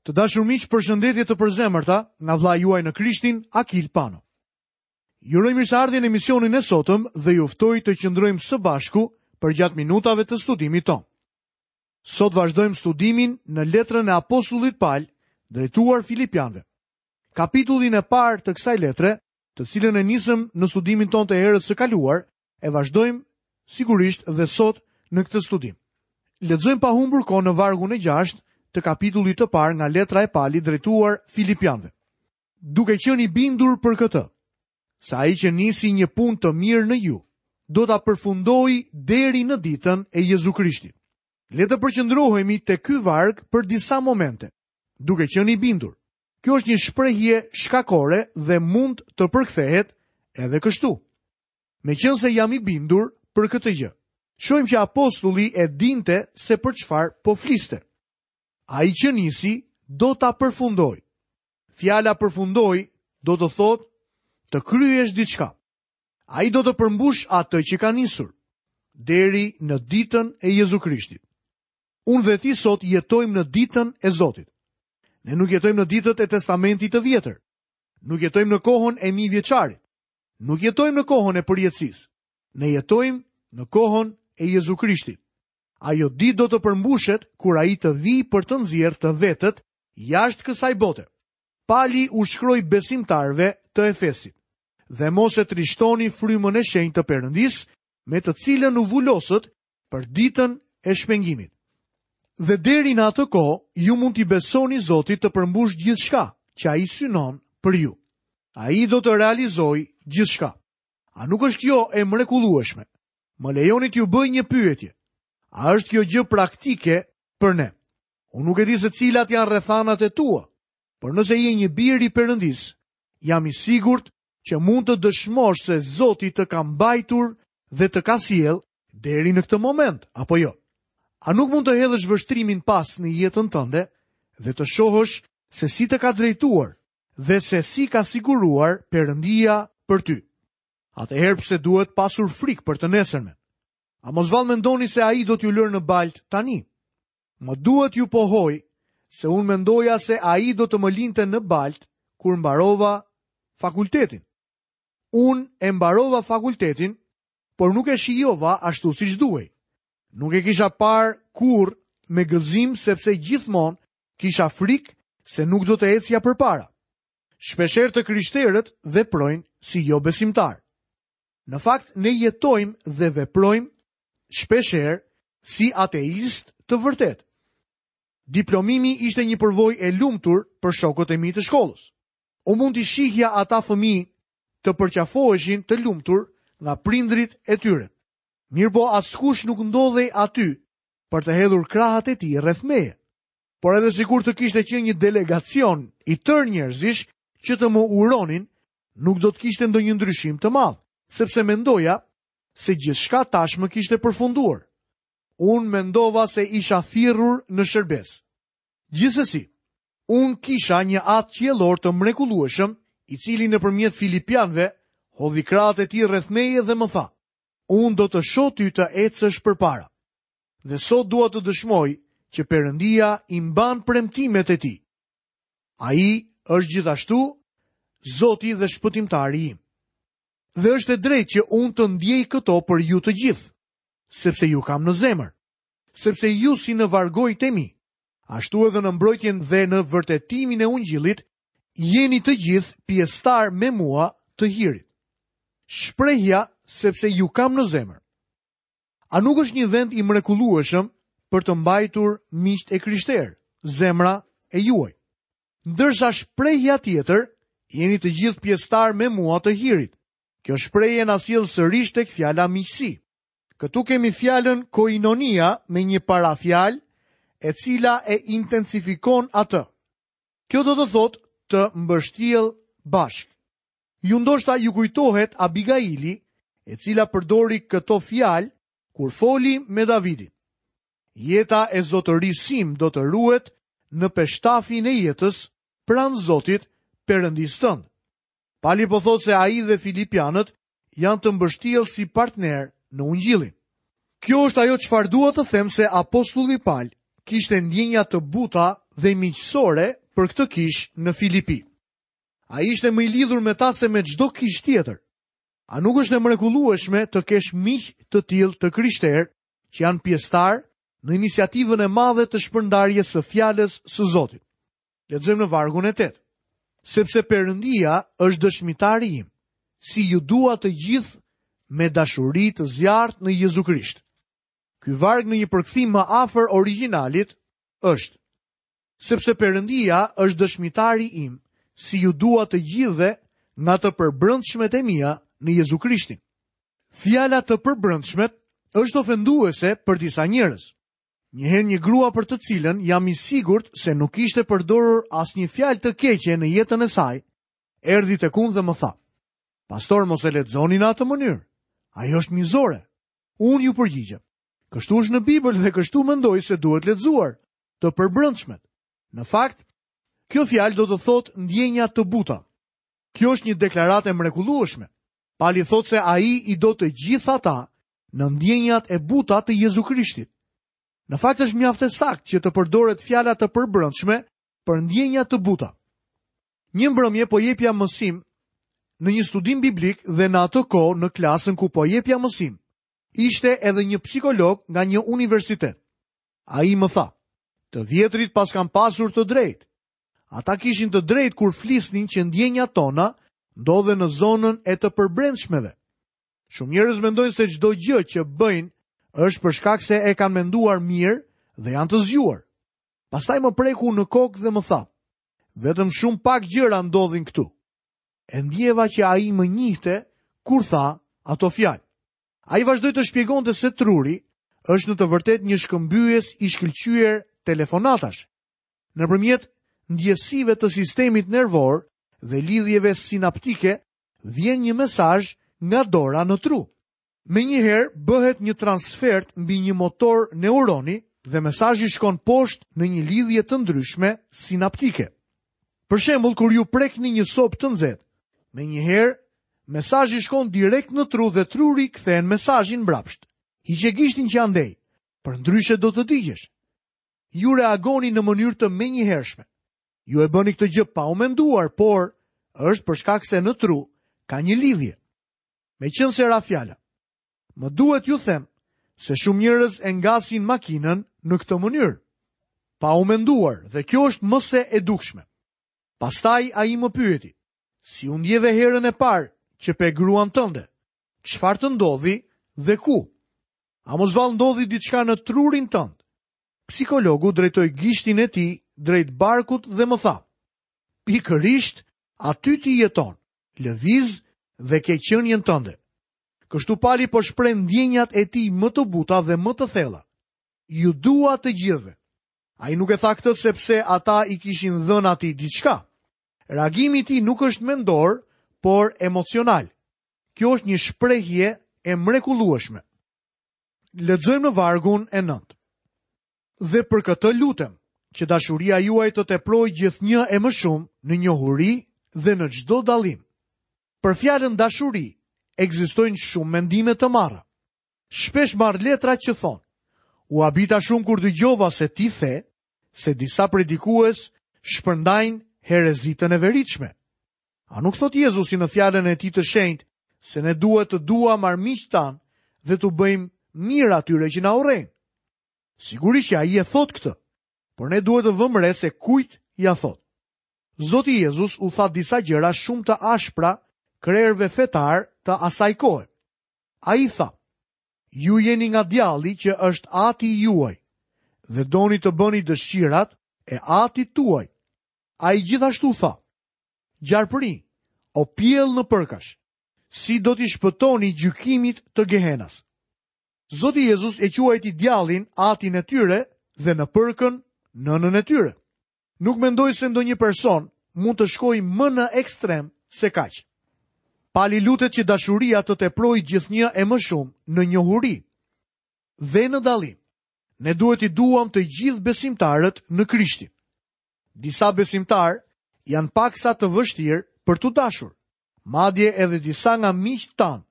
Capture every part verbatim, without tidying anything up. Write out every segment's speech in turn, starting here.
Të dashur miq, përshëndetje të përzemërta nga vëllai juaj në Krishtin, Akil Pano. Ju uroj mirëseardhjen në emisionin e sotëm dhe ju ftoj të qëndrojmë së bashku përgjatë minutave të studimit tonë. Sot vazhdojmë studimin në letrën e apostullit Pal drejtuar Filipianëve. Kapitullin e parë të kësaj letre, të cilën e nisëm në studimin tonë të herës së kaluar, e vazhdojmë sigurisht dhe sot në këtë studim. Lexojmë pa humbur kohë në vargun e gjashtë të kapitullit të parë nga letra e Palit drejtuar Filipianëve. Duke qenë i bindur për këtë, se ai që nisi një punë të mirë në ju, do ta përfundojë deri në ditën e Jezu Krishtit. Le të përqendrohemi te ky varg për disa momente, duke qenë i bindur. Kjo është një shprehje shkakore dhe mund të përkthehet edhe kështu. Meqense jam i bindur për këtë gjë. Shohim që apostulli e dinte se për çfarë po fliste. Ai që nisi do ta përfundoj. Fjala përfundoj do të thotë të kryesh diçka. Ai do të përmbush atë që ka nisur deri në ditën e Jezu Krishtit. Unë dhe ti sot jetojmë në ditën e Zotit. Ne nuk jetojmë në ditët e Testamentit të Vjetër. Nuk jetojmë në kohën e mijëvjeçarit. Nuk jetojmë në kohën e përjetësisë. Ne jetojmë në kohën e Jezu Krishtit. Ajo ditë do të përmbushet kur ai të vijë për të nxjerrë të vetët jashtë kësaj bote. Pali u shkroi besimtarëve të Efesit: Dhe mos e trishtoni frymën e shenjtë të Perëndisë, me të cilën u vulosët për ditën e shpengimit. Dhe deri në atë kohë, ju mund t'i besoni Zotit të përmbush gjithçka që ai synon për ju. Ai do të realizojë gjithçka. A nuk është kjo e mrekullueshme? Më lejoni t'ju bëj një pyetje. A është kjo gjë praktike për ne? Unë nuk e di se cilat janë rrethanat e tua, por nëse je një bir i Perëndisë, jam i sigurt që mund të dëshmosh se Zoti të ka mbajtur dhe të ka sjellë deri në këtë moment, apo jo? A nuk mund të hedhësh vështrimin pas në jetën tënde dhe të shohësh se si të ka drejtuar dhe se si ka siguruar Perëndia për ty? Atëherë pse duhet pasur frikë për të nesërmen? A mos vallë mendoni se ai do t'ju lërë në balt tani? Më duhet ju pohoj se unë mendoja se ai do të më linte në balt kur mbarova fakultetin. Unë e mbarova fakultetin, por nuk e shijova ashtu siç duhej. Nuk e kisha parë kurrë me gëzim sepse gjithmonë kisha frikë se nuk do të ecja përpara. Shpeshherë të krishterët veprojnë si jo besimtar. Në fakt, ne jetojmë dhe veprojmë shpeshherë si ateist të vërtet. Diplomimi ishte një përvojë e lumtur për shokët e mi të shkollës. Unë mund t'i shihja ata fëmijë të përqafoheshin të lumtur nga prindrit e tyre. Mirëpo askush nuk ndodhej aty për të hedhur krahët e tij rreth meje. Por edhe sikur të kishte qenë një delegacion i tërë njerëzish që të më uronin, nuk do të kishte ndonjë ndryshim të madh, sepse mendoja se gjithçka tashmë kishte përfunduar. Unë mendova se isha thirrur në shërbes. Gjithsesi, unë kisha një atë qiellor të mrekullueshëm, i cili nëpërmjet Filipianëve hodhi krahët e tij rreth meje dhe më tha: Unë do të shoh ty të ecësh përpara. Dhe sot dua të dëshmoj që Perëndia i mban premtimet e tij. Ai është gjithashtu Zoti dhe shpëtimtari im. Dhe është e drejtë që unë të ndjej këto për ju të gjithë, sepse ju kam në zemër, sepse ju si në vargojt e mi, ashtu edhe në mbrojtjen dhe në vërtetimin e ungjillit, jeni të gjithë pjesëtar me mua të hirit. Shprehja sepse ju kam në zemër. A nuk është një vend i mrekullueshëm për të mbajtur miqtë e krishterë, zemra e juaj? Ndërsa shprehja tjetër, jeni të gjithë pjesëtar me mua të hirit. Kjo shprehje na sjell sërish tek fjala miqësi. Këtu kemi fjalën koinonia me një parafjalë e cila e intensifikon atë. Kjo do të thotë të mbështjell bashkë. Ju ndoshta ju kujtohet Abigaili, e cila përdori këto fjalë kur foli me Davidin. Jeta e zotërisë sim do të ruhet në peshtafin e jetës pranë Zotit, Perëndisë tënd. Pali po thotë se ai dhe Filipianët janë të mbështjellë si partner në ungjillin. Kjo është ajo çfarë dua të them se apostulli Pal kishte ndjenja të buta dhe miqësore për këtë kishë në Filipi. Ai ishte më i lidhur me ta se me çdo kishë tjetër. A nuk është e mrekullueshme të kesh miq të tillë të krishterë që janë pjesëtar në iniciativën e madhe të shpërndarjes së fjalës së Zotit? Lexojmë në vargun e tetë. Sepse Perëndia është dëshmitari im, si ju dua të gjithë me dashuri të zjarrt në Jezu Krisht. Ky varg në një përkthim më afër origjinalit është: Sepse Perëndia është dëshmitari im, si ju dua të gjithëve nga të përbrendshmet e mia në Jezu Krishtin. Fjala të përbrendshmet është ofenduese për disa njerëz. Një herë një grua për të cilën jam i sigurt se nuk ishte përdorur asnjë fjalë të keqe në jetën e saj, erdhi tek unë dhe më tha: "Pastor, mos e lexoni në atë mënyrë. Ajo është mizore." Unë ju përgjigjem: "Kështu është në Bibël dhe kështu mendoj se duhet lexuar, të përbrendshmet." Në fakt, kjo fjalë do të thotë ndjenja të buta. Kjo është një deklaratë e mrekullueshme. Pali thotë se ai i do të gjithë ata në ndjenjat e buta të Jezu Krishtit. Në fakt është mjaft e saktë që të përdoret fjala të përbrendshme për ndjenja të buta. Një mbrëmje po jepja mësim në një studim biblik dhe në atë kohë në klasën ku po jepja mësim, ishte edhe një psikolog nga një universitet. Ai më tha: "Të vjetrit pas kanë pasur të drejtë. Ata kishin të drejtë kur flisnin që ndjenjat tona ndodhen në zonën e të përbrendshmeve." Shumë njerëz mendojnë se çdo gjë që bëjnë është për shkak se e kanë menduar mirë dhe janë të zgjuar. Pastaj më preku në kokë dhe më tha: "Vetëm shumë pak gjëra ndodhin këtu." E ndjeva që ai më njihte kur tha ato fjalë. Ai vazhdoi të shpjegonte se truri është në të vërtetë një shkëmbyes i shkëlqyer telefonatash. Nëpërmjet ndjesive të sistemit nervor dhe lidhjeve sinaptike vjen një mesazh nga dora në tru. Menjëherë bëhet një transfert mbi një motor neuroni dhe mesazhi shkon poshtë në një lidhje të ndryshme sinaptike. Për shembull, kur ju prekni një sopë të nxehtë, menjëherë mesazhi shkon direkt në tru dhe truri kthen mesazhin mbrapsht. Hiqe gishtin që andej, përndryshe do të digjesh. Ju reagoni në mënyrë të menjëhershme. Ju e bëni këtë gjë pa u menduar, por është për shkak se në tru ka një lidhje. Meqense ra fjala, më duhet ju them se shumë njerëz e ngasin makinën në këtë mënyrë, pa u menduar, dhe kjo është më se e dukshme. Pastaj ai më pyeti: "Si u ndjeve herën e parë që pe gruan tënde? Çfarë të ndodhi dhe ku? A mos vallë ndodhi diçka në trurin tënd?" Psikologu drejtoi gishtin e tij drejt barkut dhe më tha: "Pikërisht aty ti jeton, lëviz dhe ke qenien tënde." Kështu Pali po shpreh ndjenjat e tij më të buta dhe më të thella. Ju dua të gjithëve. Ai nuk e tha këtë sepse ata i kishin dhënë atij diçka. Reagimi i tij nuk është mendor, por emocional. Kjo është një shprehje e mrekullueshme. Lexojmë në vargun e nëntë. Dhe për këtë lutem, që dashuria juaj të teprojë gjithnjë e më shumë në njohuri dhe në çdo dallim. Për fjalën dashuri ekzistojnë shumë mendime të marra. Shpesh marr letra që thonë: "U habita shumë kur dëgjova se ti the se disa predikues shpërndajnë herezitën e veritshme." A nuk thot Jezusi në fjalën e tij të shenjtë se ne duhet të duam armiqtë tanë dhe t'u bëjmë mirë atyre që na urrejnë? Sigurisht që ai e thot këtë, por ne duhet të vëmë re se kujt ja thot. Zoti Jezus u tha disa gjëra shumë të ashpra krerëve fetar të asaj kohe. Ai tha: "Ju jeni nga djalli që është ati juaj dhe doni të bëni dëshirat e atit tuaj." Ai gjithashtu tha: "Gjarpëri, o pjell në përkash, si do t'i shpëtoni gjykimit të Gehenas?" Zoti Jezus e quajti djallin atin e tyre dhe në përkën nënën e tyre. Nuk mendoj se ndonjë person mund të shkojë më në ekstrem se kaq. Pali lutet që dashuria të teprojë gjithnjë e më shumë në njohuri dhe në dallim. Ne duhet i duam të gjithë besimtarët në Krishtin. Disa besimtarë janë paksa të vështirë për t'u dashur. Madje edhe disa nga miqtë tanë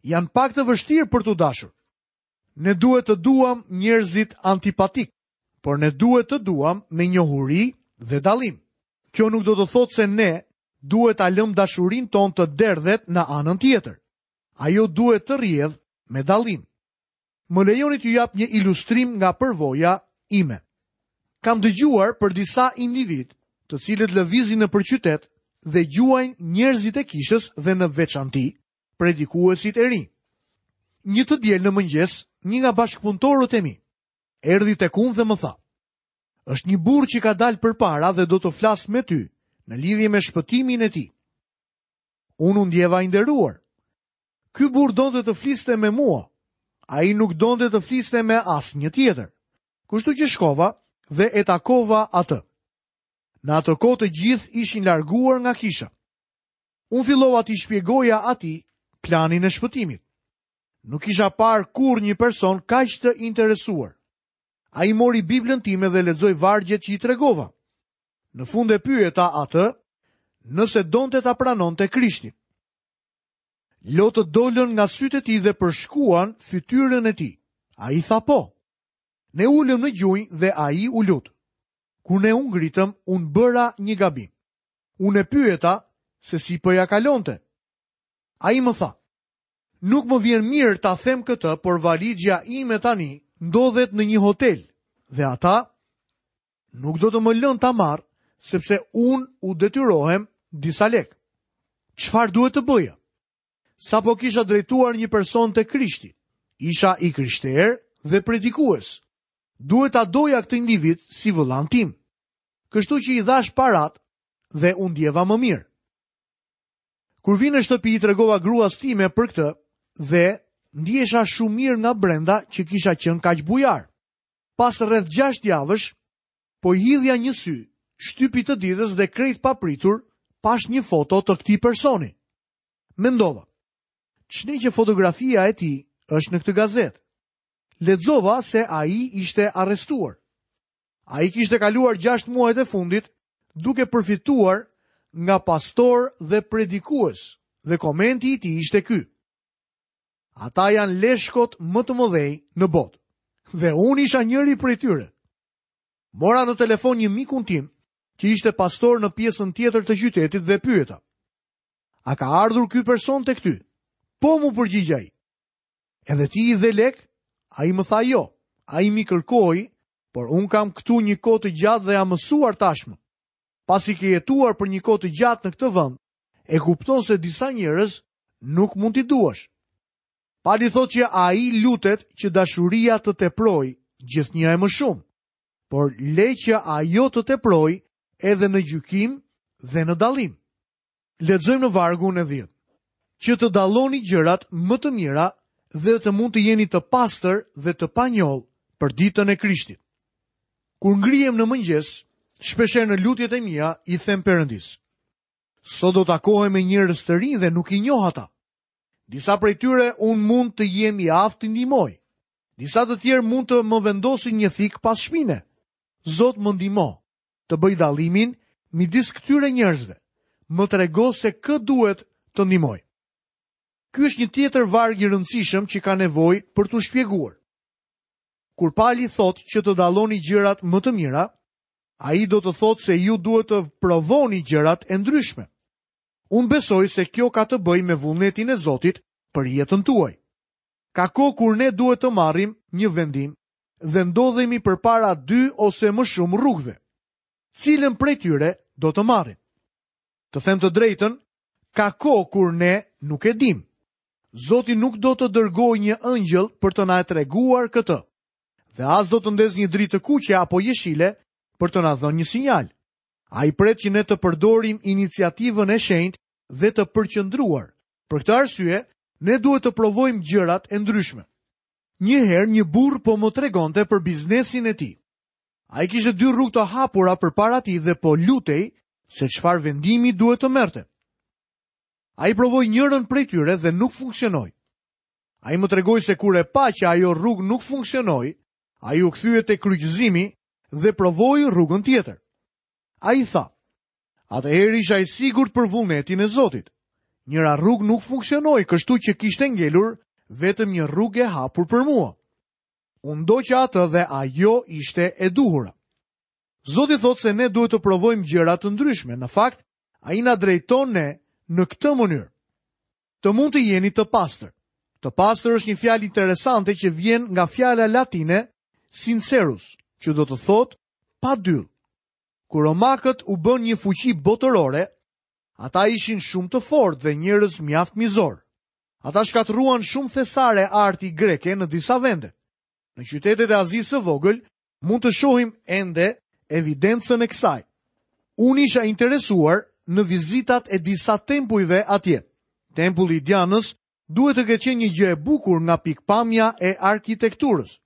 janë pak të vështirë për t'u dashur. Ne duhet të duam njerëzit antipatik, Por ne duhet të duam me njohuri dhe dallim. Kjo nuk do të thotë se ne duhet ta lëmë dashurinë tonë të derdhet në anën tjetër. Ajo duhet të rrjedh me dallim. Më lejoni t'ju jap një ilustrim nga përvoja ime. Kam dëgjuar për disa individ, të cilët lëvizin nëpër qytet dhe gjuajnë njerëzit e kishës dhe në veçanti predikuesit e rinj. Një të diel në mëngjes, një nga bashkëpunëtorët e mi erdhi tek unë dhe më tha: "Është një burrë që ka dalë përpara dhe do të flas me ty në lidhje me shpëtimin e tij." Unë u ndjeva i nderuar. Ky burrë donte të fliste me mua. Ai nuk donte të fliste me asnjë tjetër. Kështu që shkova dhe e takova atë. Në atë kohë të gjithë ishin larguar nga kisha. Unë fillova t'i shpjegoja atij planin e shpëtimit. Nuk kisha parë kurrë një person kaq të interesuar. Ai mori Biblën time dhe lexoi vargjet që i tregova. Në fund e pyeta atë nëse donte ta pranonte Krishtin. Lotët dolën nga sytë e tij dhe përshkuan fytyrën e tij. Ai tha po. Ne ulëm në gjunjë dhe ai u lut. Kur ne u ngritëm, unë bëra një gabim. Unë e pyeta se si po ja kalonte. Ai më tha: "Nuk më vjen mirë ta them këtë, por valixha ime tani ndodhet në një hotel dhe ata nuk do të më lënë ta marr, sepse unë u detyrohem disa lek." Çfarë duhet të bëja? Sapo kisha drejtuar një person te Krishti. Isha i krishterë dhe predikues. Duhet ta doja këtë individ si vëllan tim. Kështu që i dhash parat dhe u ndjeva më mirë. Kur vi në shtëpi i tregova gruas time për këtë dhe ndjesha shumë mirë nga brenda që kisha qenë kaq bujar. Pas rreth gjashtë javësh, po i hidhja një sy shtypit të ditës dhe krejt papritur pash një foto të këtij personi. Mendova, ç'ne që fotografia e tij është në këtë gazetë? Lexova se ai ishte arrestuar. Ai kishte kaluar gjashtë muajt e fundit duke përfituar nga pastor dhe predikues, dhe komenti i tij ishte ky: Ata janë leshkot më të mëdhenj në botë. Dhe unë isha njëri prej tyre. Mora në telefon një mikun tim, që ishte pastor në pjesën tjetër të qytetit dhe pyeta: A ka ardhur ky person tek ty? Po, mu përgjigj ai. Edhe ti i dhe lek? Ai më tha jo. Ai mi kërkoi, por unë kam këtu një kohë të gjatë dhe jam mësuar tashmë. Pasi ke jetuar për një kohë të gjatë në këtë vend, e kupton se disa njerëz nuk mund t'i duash. Pali thotë që ai lutet që dashuria të teprojë gjithnjë e më shumë, por le që ajo të teprojë edhe në gjykim dhe në dallim. Lexojmë në vargun e dhjetë. Që të dalloni gjërat më të mira dhe të mund të jeni të pastër dhe të panjollë për ditën e Krishtit. Kur ngrihem në mëngjes, shpeshherë në lutjet e mia i them Perëndis: Sot do takohem me njerëz të rinj dhe nuk i njoh ata. Disa prej tyre unë mund të jem i aftë të ndihmoj. Disa të tjerë mund të më vendosin një thik pas shpine. Zot, më ndihmo të bëj dallimin midis këtyre njerëzve. Më trego se kë duhet të ndihmoj. Ky është një tjetër varg i rëndësishëm që ka nevojë për t'u shpjeguar. Kur Pali thotë që të dalloni gjërat më të mira, ai do të thotë se ju duhet të provoni gjërat e ndryshme. Unë besoj se kjo ka të bëjë me vullnetin e Zotit për jetën tuaj. Ka kohë kur ne duhet të marrim një vendim dhe ndodhemi përpara dy ose më shumë rrugëve. Cilën prej tyre do të marrim? Të them të drejtën, ka kohë kur ne nuk e dim. Zoti nuk do të dërgojë një ëngjëll për të na e treguar këtë, dhe as do të ndezë një dritë të kuqe apo jeshile për të na dhënë një sinjal. Ai pret që ne të përdorim iniciativën e shenjtë dhe të përqendruar. Për këtë arsye, ne duhet të provojmë gjërat e ndryshme. Një herë një burr po më tregonte për biznesin e tij. Ai kishte dy rrugë të hapura përpara tij dhe po lutej se çfarë vendimi duhet të merrte. Ai provoi njërën prej tyre dhe nuk funksionoi. Ai më tregoi se kur e pa që ajo rrugë nuk funksionoi, ai u kthye te kryqëzimi dhe provoi rrugën tjetër. Ai tha: Atëherë isha i sigurt për vullnetin e Zotit. Njëra rrugë nuk funksionoi, kështu që kishte ngelur vetëm një rrugë e hapur për mua. Unë ndoqa atë dhe ajo ishte e duhura. Zoti thotë se ne duhet të provojmë gjëra të ndryshme. Në fakt, ai na drejton ne në këtë mënyrë. Të mund të jeni të pastër. Të pastër është një fjalë interesante që vjen nga fjala latine sincerus, që do të thotë pa dyll. Kur romakët u bën një fuqi botërore, ata ishin shumë të fortë dhe njerëz mjaft mizor. Ata shkatërruan shumë thesare arti greke në disa vende. Në qytetet e Azisë së Vogël mund të shohim ende evidencën e kësaj. Unë isha interesuar në vizitat e disa tempujve atje. Tempulli i Dianës duhet të ketë qenë një gjë e bukur nga pikpamja e arkitekturës.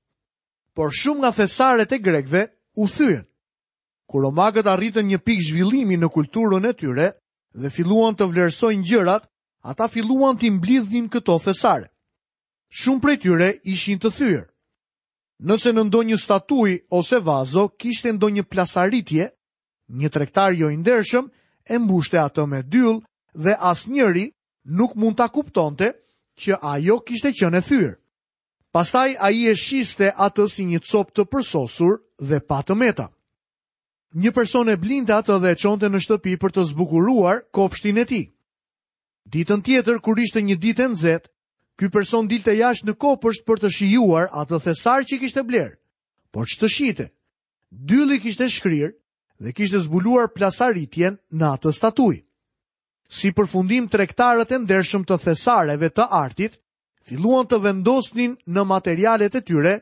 Por shumë nga thesaret e grekëve u thyen. Kur romakët arritën një pikë zhvillimi në kulturën e tyre dhe filluan të vlerësojnë gjërat, ata filluan t'i mblidhnin këto thesare. Shumë prej tyre ishin të thyer. Nëse në ndonjë statujë ose vazo kishte ndonjë plasaritje, një tregtar jo i ndershëm e mbushte atë me dyll dhe asnjëri nuk mund ta kuptonte që ajo kishte qenë e thyer. Pastaj ai e shiste atë si një copë të përsosur dhe pa të meta. Një person e blinte atë dhe e çonte në shtëpi për të zbukuruar kopshtin e tij. Ditën tjetër, kur ishte një ditë e nxehtë, ky person dilte jashtë në kopsht për të shijuar atë thesar që kishte bler. Por ç'të shite? Dylli kishte shkrirë dhe kishte zbuluar plasaritjen në atë statujë. Si përfundim, tregtarët e ndershëm të thesareve të artit filluan të vendosnin në materialet e tyre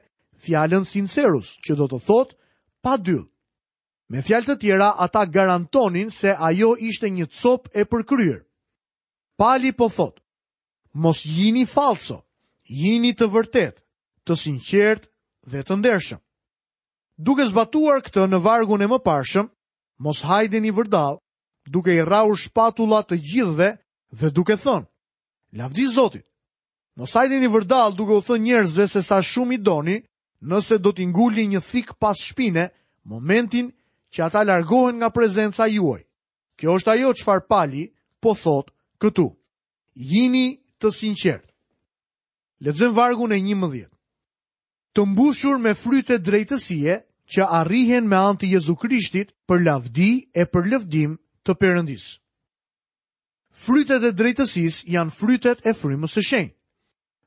fjalën sincerus, që do të thotë pa dyll. Me fjalë të tjera, ata garantonin se ajo ishte një copë e përkryer. Pali po thotë, mos jini falso, jini të vërtet, të sinqert dhe të ndershëm. Duke zbatuar këtë në vargun e mëparshëm, mos hajdeni vërdall, duke i rrahur shpatulla të gjithëve dhe duke thënë, lavdi Zotit. Mos hajdeni vërdall duke u thënë njerëzve se sa shumë i doni, nëse do t'i ngulni një thik pas shpine, momentin që ata largohen nga prezenca juaj. Kjo është ajo çfarë Pali po thotë këtu. Jini të sinqert. Lexojmë vargun e njëmbëdhjetë. Të mbushur me fryte drejtësie që arrihen me anë të Jezu Krishtit për lavdi e për lëvdim të Perëndisë. Frytet e drejtësisë janë frytet e frymës së shenjtë.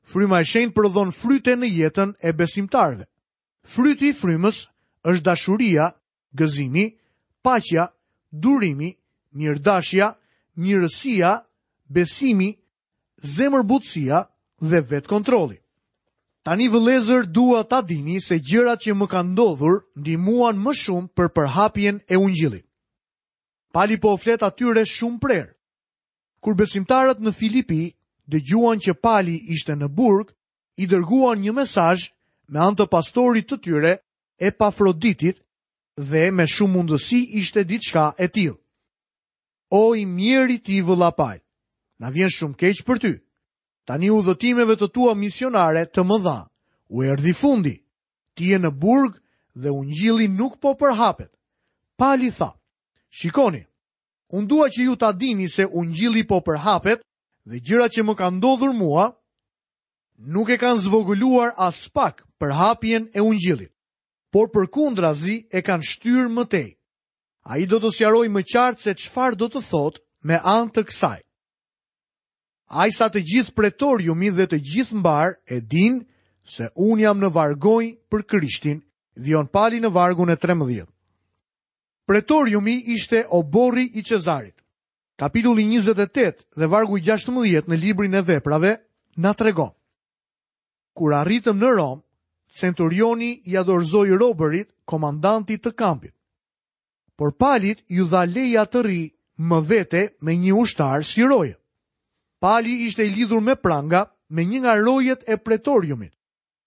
Fryma e shenjtë prodhon fryte në jetën e besimtarëve. Fryti i frymës është dashuria, gëzimi, paqja, durimi, mirëdashja, mirësia, besimi, zemërbutësia dhe vetkontrolli. Tani vëllezër, dua ta dini se gjërat që më kanë ndodhur ndihmuan më shumë për përhapjen e ungjillit. Pali po flet atyre shumë prerë. Kur besimtarët në Filipi dëgjuan që Pali ishte në burg, i dërguan një mesazh me anë të pastorit të tyre, Epafroditit, dhe me shumë mundësi ishte diçka e tillë. O i mjeri ti vëlla Pal, na vjen shumë keq për ty. Tani udhëtimeve të tua misionare të mëdha, u erdhi fundi. Ti je në burg dhe ungjilli nuk po përhapet. Pali tha, shikoni, unë dua që ju ta dini se ungjilli po përhapet dhe gjërat që më kanë ndodhur mua nuk e kanë zvogëluar as pak përhapjen e ungjillit, por përkundrazi e kanë shtyrë më tej. Ai do të sqarojë më qartë se çfarë do të thotë me anë të kësaj. Ai sa të gjithë pretoriumi dhe të gjithë mbar e din se unë jam në vargonj për Krishtin, vijon Pali në vargun e trembëdhjetë. Pretoriumi ishte oborri i Cezarit. Kapitulli njëzet e tetë dhe vargu i gjashtëmbëdhjetë në librin e veprave na tregon. Kur arritëm në Romë, centurioni ia dorëzoi robërit komandantit të kampit. Por Palit ju dha leja të rri më vete me një ushtar si roje. Pali ishte i lidhur me pranga me një nga rojet e pretoriumit.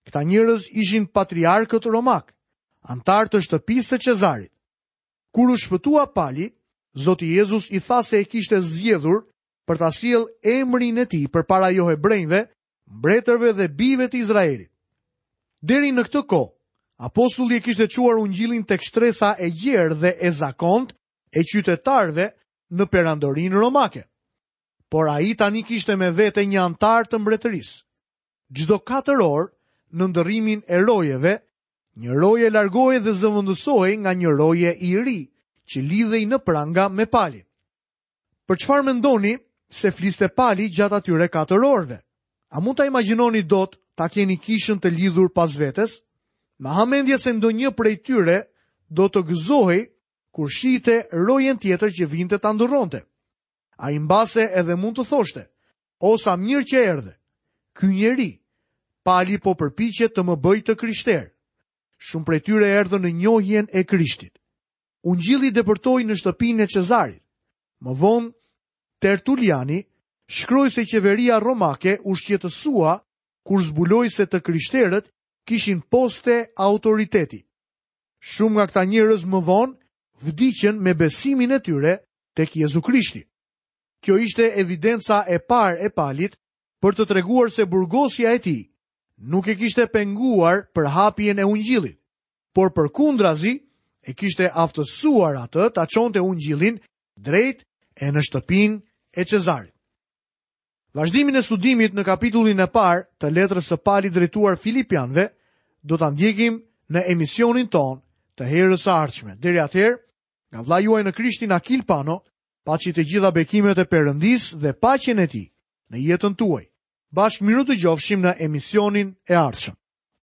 Këta njerëz ishin patriarkët romak, antar të shtëpisë së Cezarit. Kur u shpëtua Pali, Zoti Jezus i tha se e kishte zgjedhur për ta sjellë emrin e tij përpara johebrejve, mbretërve dhe bijve të Izraelit. Deri në këtë kohë, apostulli e kishte çuar ungjillin tek shtresa e gjerë dhe e zakont e qytetarëve në perandorinë romake. Por ai tani kishte me vete një antar të mbretërisë. Çdo katër orë, në ndërrimin e rojeve, një roje largohej dhe zëvendësohej nga një roje i ri, që lidhej në pranga me Palin. Për çfarë mendoni se fliste Pali gjatë atyre katër orëve? A mund ta imagjinoni dot ta keni kishën të lidhur pas vetes? Ma ha mendja se ndonjë prej tyre do të gëzohej kur shihte rojen tjetër që vinte ta ndërronte. Ai mbase edhe mund të thoshte: "O sa mirë që erdhe. Ky njeri, Pali po përpiqet të më bëjë të krishterë." Shumë prej tyre erdhën në njohjen e Krishtit. Ungjilli depërtoi në shtëpinë e Cezarit. Më vonë, Tertuliani shkroi se qeveria romake u shqetësua kur zbuloi se të krishterët kishin poste autoriteti. Shumë nga këta njerëz më vonë vdiqën me besimin e tyre tek Jezu Krishti. Kjo ishte evidenca e parë e Palit për të treguar se burgosja e tij nuk e kishte penguar për hapjen e ungjillit, por përkundrazi e kishte aftësuar atë ta çonte ungjillin drejt e në shtëpinë e Cezarit. Vazhdimin e studimit në kapitullin e parë të letrës së Palit drejtuar Filipianëve do ta ndjekim në emisionin tonë të herës së ardhshme. Deri atëherë, nga vëllai juaj në Krishtin Akil Pano, paçi të gjitha bekimet e Perëndisë dhe paqen e tij në jetën tuaj. Bashkë mirudëgjofshim në emisionin e ardhshëm.